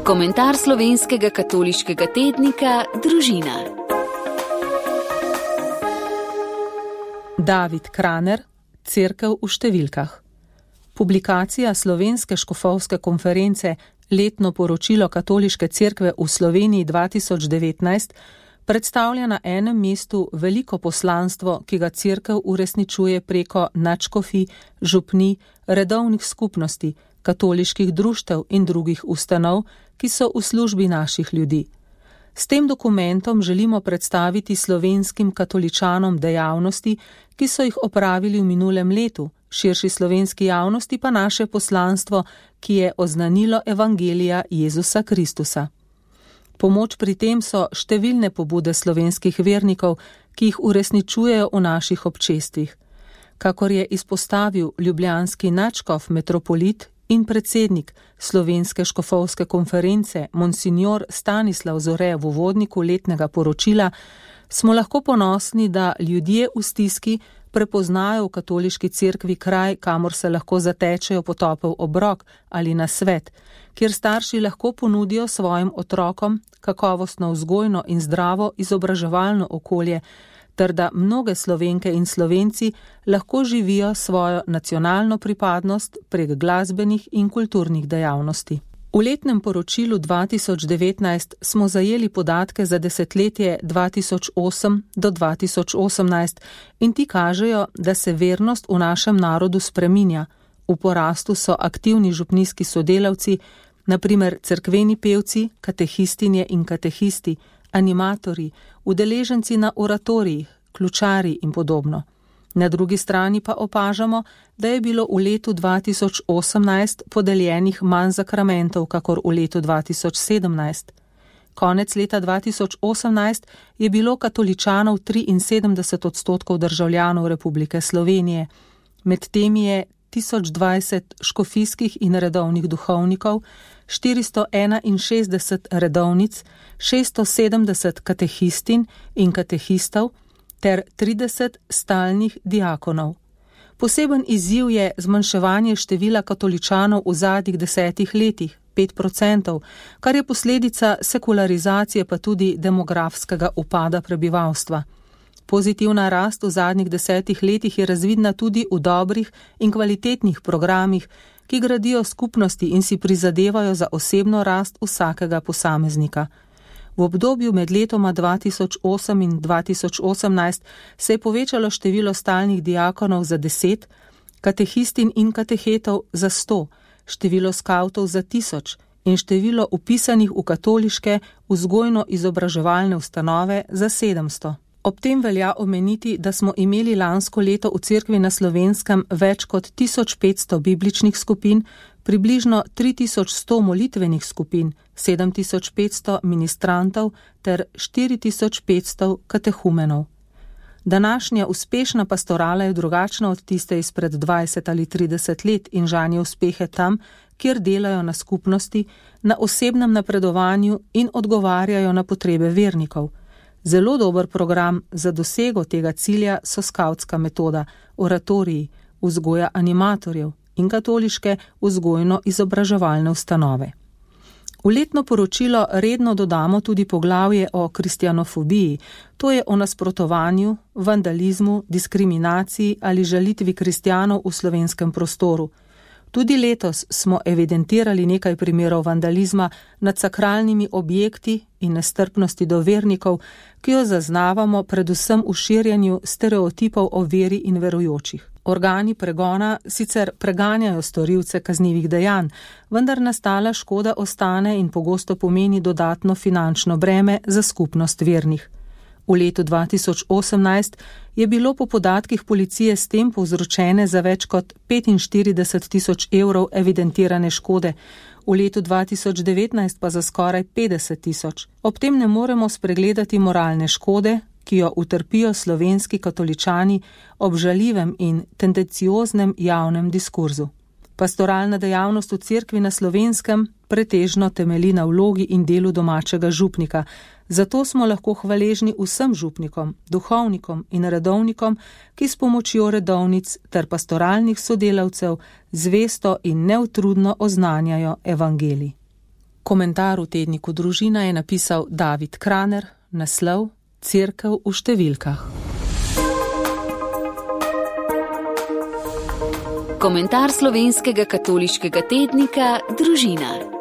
Komentar slovenskega katoliškega tednika Družina. David Kraner, Cerkev v številkah. Publikacija Slovenske škofovske konference Letno poročilo Katoliške cerkve v Sloveniji 2019 predstavlja na enem mestu veliko poslanstvo, ki ga cerkev uresničuje preko nadškofij, župnij, redovnih skupnosti, katoliških društev in drugih ustanov, ki so v službi naših ljudi. S tem dokumentom želimo predstaviti slovenskim katoličanom dejavnosti, ki so jih opravili v minulem letu, širši slovenski javnosti pa naše poslanstvo, ki je oznanilo evangelija Jezusa Kristusa. Pomoč pri tem so številne pobude slovenskih vernikov, ki jih uresničujejo v naših občestvih. Kakor je izpostavil ljubljanski nadškof metropolit in predsednik Slovenske škofovske konference Monsignor Stanislav Zore v uvodniku letnega poročila, smo lahko ponosni, da ljudje v stiski prepoznajo v katoliški cerkvi kraj, kamor se lahko zatečejo po topel obrok ali na svet, kjer starši lahko ponudijo svojim otrokom kakovostno vzgojno in zdravo izobraževalno okolje, ter da mnoge Slovenke in Slovenci lahko živijo svojo nacionalno pripadnost prek glasbenih in kulturnih dejavnosti. V letnem poročilu 2019 smo zajeli podatke za desetletje 2008 do 2018 in ti kažejo, da se vernost v našem narodu spreminja. V porastu so aktivni župnijski sodelavci, na primer cerkveni pevci, katehistinje in katehisti, animatorji, udeleženci na oratorijih, ključari in podobno. Na drugi strani pa opažamo, da je bilo v letu 2018 podeljenih manj zakramentov, kakor v letu 2017. Konec leta 2018 je bilo katoličanov 73% državljanov Republike Slovenije. Med temi je 1020 škofijskih in redovnih duhovnikov, 461 redovnic, 670 katehistin in katehistov ter 30 stalnih diakonov. Poseben izziv je zmanjševanje števila katoličanov v zadnjih 10 letih, 5%, kar je posledica sekularizacije pa tudi demografskega upada prebivalstva. Pozitivna rast v zadnjih 10 letih je razvidna tudi v dobrih in kvalitetnih programih, ki gradijo skupnosti in si prizadevajo za osebno rast vsakega posameznika. V obdobju med letoma 2008 in 2018 se je povečalo število stalnih diakonov za 10, katehistin in katehetov za 100, število skavtov za 1000 in število upisanih v katoliške vzgojno-izobraževalne ustanove za 700. Ob tem velja omeniti, da smo imeli lansko leto v cerkvi na Slovenskem več kot 1500 bibličnih skupin, približno 3100 molitvenih skupin, 7500 ministrantov ter 4500 katehumenov. Današnja uspešna pastorala je drugačna od tiste izpred 20 ali 30 let in žanje uspehe tam, kjer delajo na skupnosti, na osebnem napredovanju in odgovarjajo na potrebe vernikov. Zelo dober program za dosego tega cilja so skavtska metoda, oratoriji, vzgoja animatorjev in katoliške vzgojno-izobraževalne ustanove. V letno poročilo redno dodamo tudi poglavje o kristjanofobiji, to je o nasprotovanju, vandalizmu, diskriminaciji ali žalitvi kristjanov v slovenskem prostoru. Tudi letos smo evidentirali nekaj primerov vandalizma nad sakralnimi objekti in nestrpnosti do vernikov, ki jo zaznavamo predvsem v širjenju stereotipov o veri in verujočih. Organi pregona sicer preganjajo storilce kaznivih dejanj, vendar nastala škoda ostane in pogosto pomeni dodatno finančno breme za skupnost vernih. V letu 2018 je bilo po podatkih policije s tem povzročene za več kot 45 000 evrov evidentirane škode, v letu 2019 pa za skoraj 50 000. Ob tem ne moremo spregledati moralne škode, ki jo utrpijo slovenski katoličani ob žaljivem in tendencioznem javnem diskurzu. Pastoralna dejavnost v cerkvi na Slovenskem pretežno temelji na vlogi in delu domačega župnika, zato smo lahko hvaležni vsem župnikom, duhovnikom in redovnikom, ki s pomočjo redovnic ter pastoralnih sodelavcev zvesto in neutrudno oznanjajo evangelij. Komentar v tedniku Družina je napisal David Kraner, naslov Cerkev v številkah. Komentar slovenskega katoliškega tednika Družina.